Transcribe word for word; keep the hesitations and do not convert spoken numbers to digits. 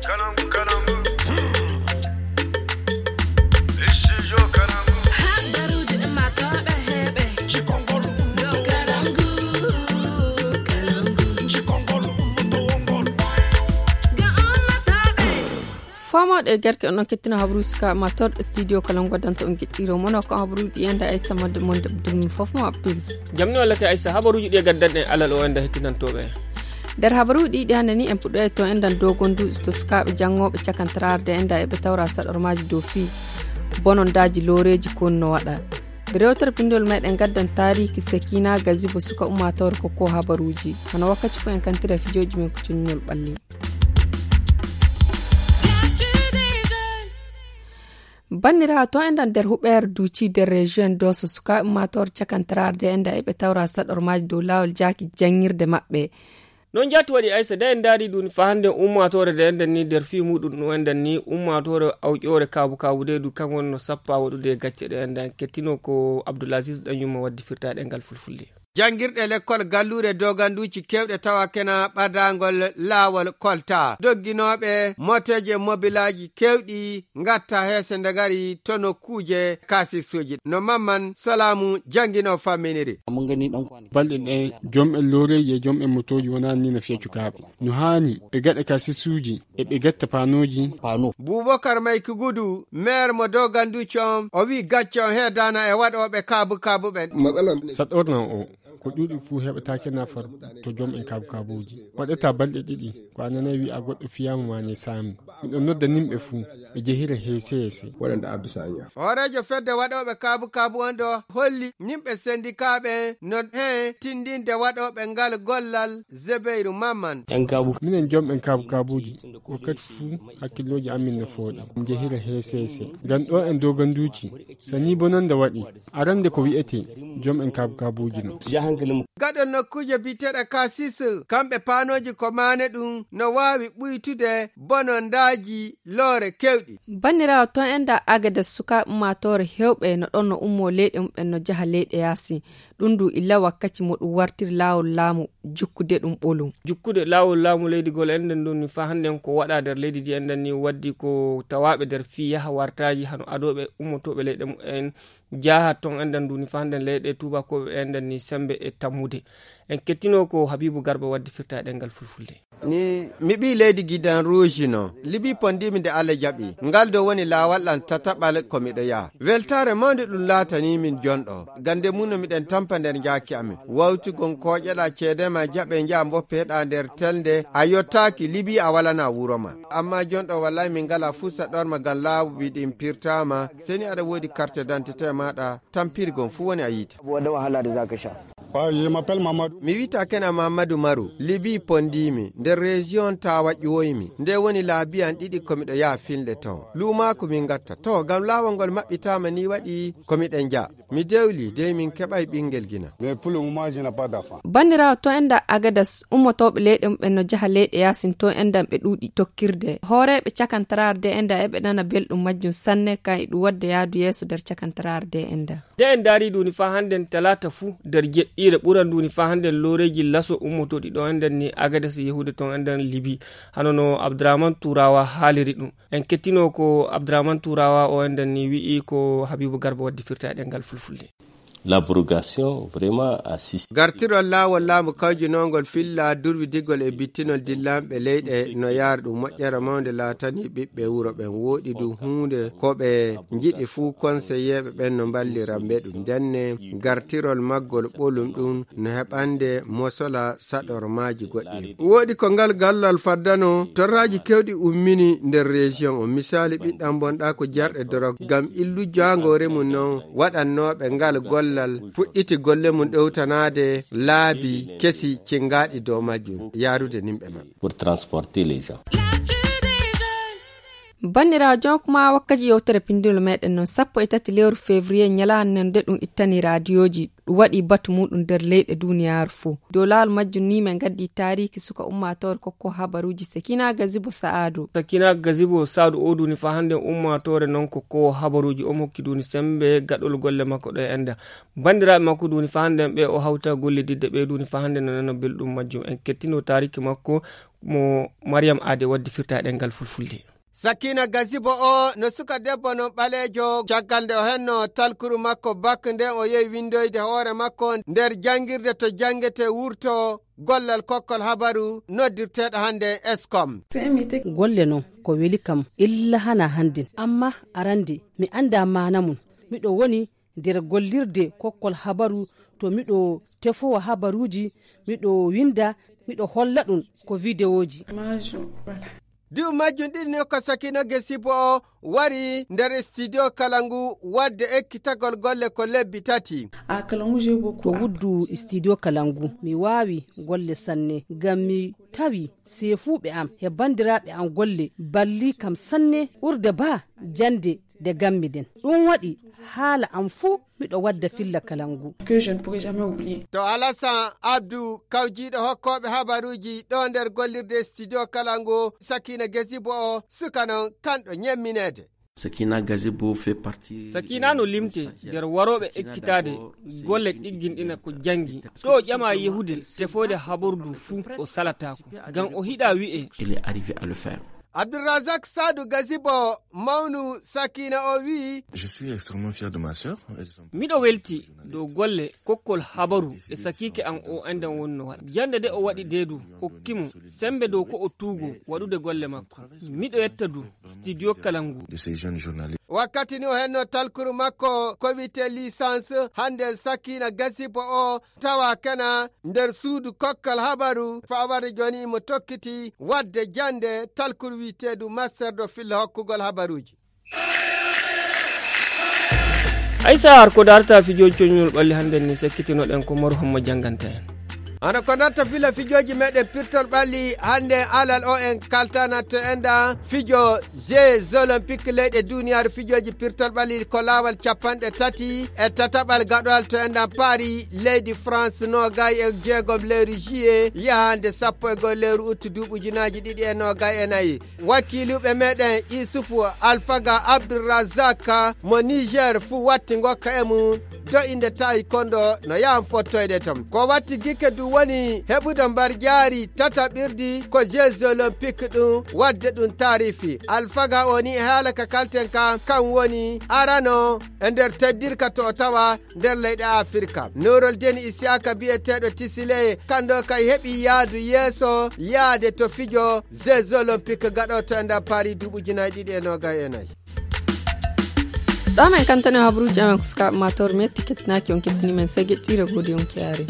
Kalangu, kalangu. Studio Kalangu. Habaruuji ummaatooɓe heewɓe. Cikongol ummaatooɓe. Kalangu, kalangu. Cikongol ummaatooɓe. Ga ummaatooɓe. Faamooɗo e garke on, on kettina habaruuji suka ummaatooɗo studio Kalangu waddanta on geɗɗiro mono ko habaruuji ɗi enda Aissa Madde mon Abdul fof mo Abdul. Jamni walla ke Aissa, habaruuji ɗi e gaddanɗen alal o enda hettinantooɓe. Nder habaruuji ɗiɗi hannde ni, en puɗɗoyay to enɗan dogonduuji to sukaaɓe janngooɓe cakantaraare de enɗan eɓe tawra saɗormaaji dow fii bonondaaji looreeji ko no waɗa. Rewtere pinndol meɗen gaddan taariiki Sekina Gazibo suka ummaatoore ko ko habaruuji. Hano wakkati fof en kantira fijooji men ko cunñol ɓalli. Banndiraawo, to enɗan nder huɓeere duuci nder région Dosso, sukaaɓe ummaatoore cakantaraare de enɗan eɓe tawra saɗormaaji dow laawol jaaki janngirde maɓɓe. Noon jaati waɗi Aissa, de en ndaari ɗum fa hannde ummaatoore de enɗan ni nder fii muɗum ɗum enɗan ni ummaatoore awƴoore kaabu kaabu de du kan wonno sappa waɗude e gacce ɗe enɗan kettino ko Abdoulaziz Ɗanyumma waddi firtaaɗe ngal fulfulde. Janngirɗe lekkol galluure doganduuji keewɗe tawa kena ɓadaangol laawol kolta. Dogginooɓe mooteeji e mobilaaji keewɗi ngatta heese nde ngari to nokkuuje kaasisuuji. No Mamman Salaamu janngino famminiri. Balɗe ɗe, jom en looreeji e jom en motooji wonaa ni no fiya cukaaɓe. No haani ɓe gaɗa kaasisuuji e ɓe gatta paanooji. Buubakar Mayki Gudu, meer mo doganduuji on, o wi'i gacce on heedaana e waɗooɓe kaabu kaabu ɓen. Saɗorna o, ko ɗuuɗi fuu heɓataake nafar to jom en kaabu kaabuuji. Waɗata balɗe ɗiɗi, ko a nanay wi'a goɗɗo fiyaama maa ne saami. Miɗo nodda nimɓe fuu, ɓe jehira heese heese. Waɗanda Abisanya. Hooreejo fedde waɗooɓe kaabu kaabu on ɗo holli nimɓe sendikaaɓe no heen tindinde waɗooɓe ngal gollal Zebeyru Mamman. Minen jom en kaabu kaabuuji, wakkati fuu hakkillooji amin no fooɗi. Jehira heese heese. Ngam ɗo en doganduuji, so nii bonannde waɗi, arande ko wi'etee jom en kaabu kaabuuji no. Gaɗol nokkuuje biyeteeɗe Kasis, kamɓe paanooji ko maane ɗum no waawi ɓuytude bonondaaji loore keewɗi. Banndiraawo, toon enɗan Agades, sukaaɓe ummaatoore heewɓe no ɗon no ummoo leyɗe mum'en no njaha leyɗe yaasi. Ɗum du illa wakkati mo ɗum wartiri laawol laamu jukkude ɗum ɓolum. Jukkude laawol laamu leydi gol enɗan ɗum ni faa hannden ko waɗaa nder leydi ndi enɗan ni waddi ko tawaaɓe nder fii yaha wartaaji hano adooɓe ummotooɓe leyɗe mum'en njaha toon enɗan ɗum ni faa hannden leyɗe tuubakooɓe enɗan ni semmbe e tammude. En kettinoo ko Habiibu Garba waddi firtaaɗe ɗemngal fulfulde. Ni mi ɓii leydi Gidan Ruuji no. Libi pondiimi nde Alla jaɓi. Ngal ɗo woni laawol am tataɓal ko miɗo yaha. Weltaare mawnde ɗum laatanii min jonɗo. Gannde mum no miɗen tampa nder njaaki amin. Wawti gon kooƴeɗaa ceede ma jaɓe njaha mboppeɗaa nder telnde a yottaaki Libi a walanaa wuro ma. Amma jonɗo wallahi min ngalaa fuu saɗorma ngam laabi ɗin pirtaama. Seni aɗa woodi carte d'identité maaɗa tampiri gon fuu woni a yiita. Mi wi'ata kena Mammadu Maru, Libi pondiimi, nder région Tawa ƴuwoymi. Nde woni laabi an ɗiɗi ko miɗo yaha filnde ton. Luumaaku min ngatta. To, ngam laawol ngol maɓɓitaama ni waɗi ko miɗen njaha. Mi dewli, dey min keɓay ɓingel gina. Banniraawo, to enɗan Agadas, ummotooɓe leyɗe mum'en no njaha leyɗe yaasin, to enɗan ɓe ɗuuɗi tokkirde. Hooreeɓe cakantaraare de enɗan eɓe nana belɗum majjum sanne, kan e ɗum waɗde yaadu yeeso nder cakantaraare de enɗan. Nde en ndaari ɗum ni faa hannden talaata fuu nder jeɗɗiire ɓuran ɗum ni faa hannden looreeji laso ummotooɗi ɗo enɗan ni Agades e yahude toon enɗan Libi. Hano no Abdurrahman Turawa haaliri ɗum. En kettinoo ko Abdurrahman Turawa o enɗan ni wi'i ko Habiibu Garba waddi firtaaɗe ɗemngal fulfulde. L'abrogation vraiment assiste. Gartirol laawol laamu kawjinoongol filla durwidigol e bittinol dillanɓe leyɗe no yaara ɗum moƴƴere mawnde laatanii ɓiɓɓe wuro ɓen. Wooɗi du huunde ko ɓe njiɗi fuu konseyeeɓe ɓen no mballira ɓe ɗum. Ndenne gartirol maggol ɓolum ɗum no heɓande mosola saɗormaaji goɗɗi. Wooɗi ko ngal gallal faddano torraaji kewɗi ummini nder région o. Misaali ɓiɗɗan bonɗaa ko jarɗe dorog ngam illu jaangoore mum non waɗannooɓe ngal gollal puɗɗiti golle mum ɗowtanaade laabi kesi cingaaɗi dow majjum yaarude nimɓe maɓɓe. Pour transporter les gens. Banndiraajo, kuma wakkati yewtere pinndol meɗen noon, sappo e tati lewru février, ñalaande nden nde ɗum ittani raadiyooji, ɗum waɗi batu muɗum nder leyɗe duniyaaru fof. Dow laawol majjum ni, min ngaddi taariiki suka ummaatoore kokko habaruuji, Sakina Gazibo Sa'adu. Sakina Gazibo Sa'adu, o duuni faa hannde ummaatoore noon kokko habaruuji, o mokki duuni semmbe gaɗol golle makko ɗo e enda. Banndiraaɓe makko duuni faa hannde ɓe o hawta gollididde ɓe duuni faa hannde no nana belɗum majjum. En kettino taariiki makko mo Mariam Ade waddi firta e ɗemngal fulfulde. Sakina Gazibo o no suka debbo noon ɓaleejo, caggal nde o henno talkuru makko bak, nden o yehi winndoyde hoore makko nder janngirde to janngete wurto gollal kokkol habaru noddirteeɗo hannde Eskom. Golle noon ko weli kam illa hana hannden, amma arande mi annda maana mum. Miɗo woni nder gollirde kokkol habaru to miɗo tefowa habaruuji, miɗo winnda, miɗo holla ɗum ko videoji. Duuɓi majjum ɗiɗi ni ko Sakina Gazibo o wari nder studio kala ngu waɗde ekkitagol golle ko lebbi tati. To wuddu studio kala ngu, mi waawi golle sanne, ngam mi tawi seefuuɓe am e banndiraaɓe am golle balli kam sanne ɓurde ba jannde de gammi den. Ɗum waɗi haala am fuu miɗo wadda filla kala ngu. To Alasan Abdu, kawjiiɗo hokkooɓe habaruuji ɗo nder gollirde studio kala ngu, Sakina Gazibo o suka noon kanɗo ñemmineede. Sakina Gazibo fait partie Sakina no limte nder warooɓe ekkitaade golle ɗigginɗina ko janngi. Ɗo o ƴama yehude tefoyde habaru ndu fuu o salataako, ngam o hiɗa wi'e. Il est arrivé à le faire. Abdulrazak Sadu Gazibo, mawnu Sakina o wi'i. Je suis extrêmement fier de ma sœur. Miɗo welti dow golle kokkol habaru e sakiike am o anndan wonno waɗa. Jannde de o waɗi de du, hokki mo semmbe dow ko o tuugo waɗude golle makko. Miɗo yetta du studio kala ngu. De ces jeunes journalistes. Wakkati ni o henno talkuru makko ko wiyetee licence, hannde Sakina Gazibo o tawa kena nder suudu kokkal habaru, fawade jooni imo tokkiti waɗde jannde talkuru wiyeteedu master do filla hokkugol habaruuji. Aysa, har ko darta fijooji coñol ɓalli hannde ni, sekkitinoɗen ko Maru Hamma jannganta en. Hano ko darta filla fijooji meɗen pirtol ɓalli hannde alal o en kaltana to enda fijo Jeux Olympiques leyɗe duniyaaru fijooji pirtol ɓalli ko laawol capanɗe tati e tataɓal gaɗowal to enɗan Paris, leydi France, noogay e jeegom lewru juillet yahande sappo e goho lewru août duuɓi ujunaaji ɗiɗi e noogay e nayi. Wakiiluɓe meɗen Isufu Alfaga Abdulrazak mo Niger fuu watti ngokka e mum do inde tawi kondo no yahan fottoyde ton. Ko watti gikke du woni heɓude mbarjaari tataɓirdi ko Jeux Olympiques ɗum, wadde ɗum taarifi. Alfaga o ni e haala ka kalten ka, kan woni arano e nder teddirka to o tawa nder leyɗe Afirka. Norol Deni Isiyaka biyeteeɗo Tisile, kando kay heɓi yaadu yeeso yaade to fijo Jeux Olympiques gaɗoto e nder Paris duuɓi ujunaaji ɗiɗi e noogay e nayi. Ɗo men kantane habruuji amen ko sukaaɓe maa toor metti kettinaaki on kettini men segeɗɗiire goodi on kiyaari.